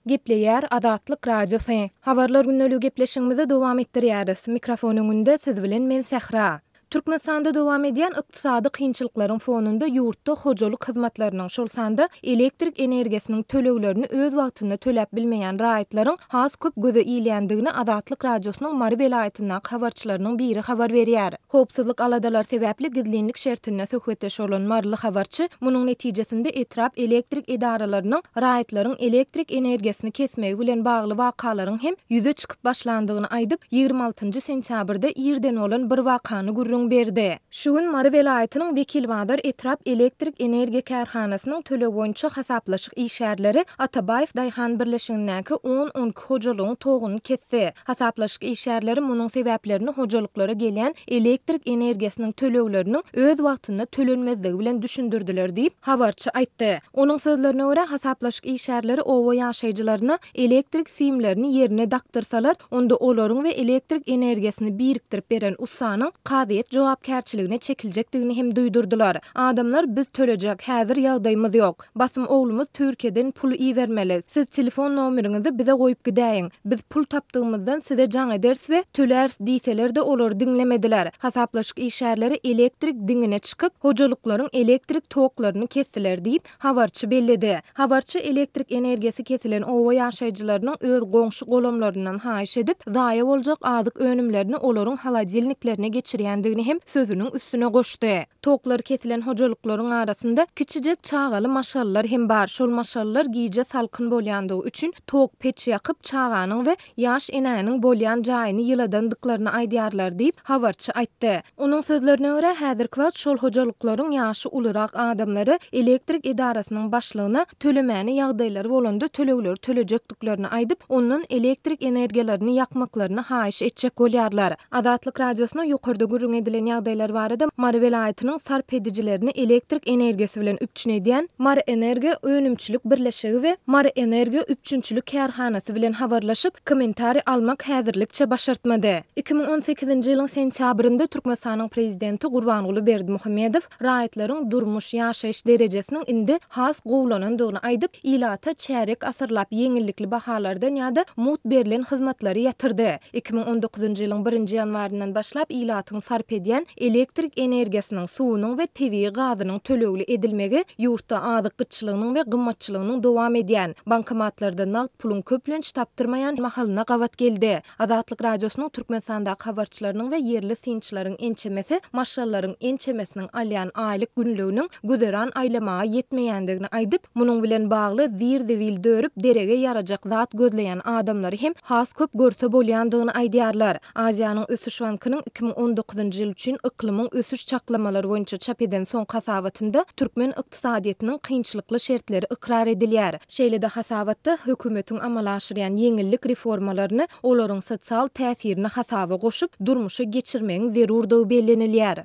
Gepleýär Azatlyk Radiosy. Habarlar gündeligi gepleşigimizi dowam etdirýäris. Mikrofon öňünde siz bilen men Sähra. Türkmenistanda dowam edýän ykdysady kynçylyklaryň fonunda ýurtda hojalyk hyzmatlarynyň, şol sanda elektrik energiýasynyň töleglerini öz wagtynda töläp bilmeýän raýatlaryň has köp göze ilýändigini Azatlyk Radiosynyň Mary welaýatyndaky habarçylarynyň biri habar berýär. Howpsuzlyk aladalary sebäpli gizlinlik şertinde söhbetdeş bolan maryly habarçy munuň netijesinde etrap elektrik edaralarynyň raýatlaryň elektrik energiýasyny kesmegi bilen bagly wakalaryň hem ýüze çykyp başlandygyny aýdyp, 26-njy sentýabrda irden bolan bir wakany gürrüň berdi. Şu gün Mary welaýatynyň Wekilbazar etrap elektrik energiýa kärhanasynyň töleg boýunça hasaplaşyk işgärleri Atabaýew daýhan birleşigindäki on-on iki hojalygyň toguny kesdi. Hasaplaşyk işgärleri munuň sebäplerini hojalyklara gelýän elektrik energiýasynyň tölegleriniň öz wagtynda tölenmezligi bilen düşündirdiler diýip, habarçy aýtdy. Onuň sözlerine görä, hasaplaşyk işgärleri oba ýaşaýjylaryna elektrik simlerini ýerine dakdyrsalar, onda olaryň we elektrik energiýasyny birikdirip beren ussanyň kazyýet jogapkärçiligine çekiljekdigini hem duýdurdylar. Adamlar biz tölejek, häzir ýagdaýymyz ýok. Basym oglumyz Türkiýeden pul ibermeli. Siz telefon nomeriňizi bize goýup gidäýiň. Biz pul tapdygymyzdan size jaň ederis we töläris diýseler-de olary diňlemediler. Hasaplaşyk işgärleri elektrik diňine çykyp, hojalyklaryň elektrik toklaryny kesdiler diýip, habarçy belledi. Habarçy elektrik energiýasy kesilen oba ýaşaýjylarynyň öz goňşy-golamlaryndan haýyş edip, zaýa boljak azyk önümlerini olaryň holodilniklerine geçirýändigini hem sözüniň üstüne goşdy. Toklary kesilen hojalyklaryň arasynda kiçijek çagaly maşgalalar hem bar. Şol maşgalalar gije salkyn bolýandygy üçin tok peç ýakyp, çaganyň we ýaş enäniň bolýan jaýyny ýyladandyklaryny aýdýarlar diýip, habarçy aýtdy. Onuň sözlerine görä, häzirki wagt şol hojalyklaryň ýaşy ulurak adamlary elektrik edarasynyň başlygyna tölemäne ýagdaýlary bolanda tölegleri tölejekdiklerini aýdyp, ondan elektrik energiýalaryny ýakmaklaryny haýyş etjek bolýarlar. Azatlyk Radiosyna ýokarda gürrüň edilen ýagdaýlar barada Mary welaýatynyň sarp edijilerini elektrik energiýasy bilen üpjün edýän Maryenergo önümçilik birleşigi we Maryenergo üpjünçilik kärhanasy bilen habarlaşyp, kommentariý almak häzirlikçe başartmady. 2018-nji ýylyň sentýabrynda Türkmenistanyň prezidenti Gurbanguly Berdimuhamedow raýatlaryň durmuş, ýaşaýyş derejesiniň indi has gowulanandygyny aýdyp, ilata çärýek asyrlap ýeňillikli bahalardan ýa-da mugt berlen hyzmatlary ýatyrdy. 2019-njy ýylyň birinji ýanwaryndan başlap ilatyň sarp edýän elektrik energiýasynyň, suwunyň we tebigy gazynyň tölegli edilmegi ýurtda azyk gytçylygynyň we gymmatçylygynyň dowam edýän, bankomatlarda nagt puluň köplenç tapdyrmaýan mahalyna gabat geldi. Azatlyk Radiosynyň Türkmenistandaky habarçylarynyň we ýerli synçylaryň ençemesi maşgalalaryň ençemesiniň alýan aýlyk günlüginiň güzeran aýlamaga ýetmeýändigini aýdyp, munuň bilen bagly zir-zibil dörüp derege ýarajak zat gözleýän adamlary hem has köp görse bolýandygyny aýdýarlar. Aziýanyň ösüş bankynyň 2019-njy ýyl üçin yklymyň ösüş çaklamalary boýunça çap eden soňky hasabatynda türkmen ykdysadyýetiniň kynçylykly şertleri ykrar edilýär. Şeýle-de hasabatda hökümetiň amala aşyrýan ýeňillik reformalaryny olaryň sosial täsirini hasaba goşup, durmuşa geçirmegiň zerurdygy bellenilýär.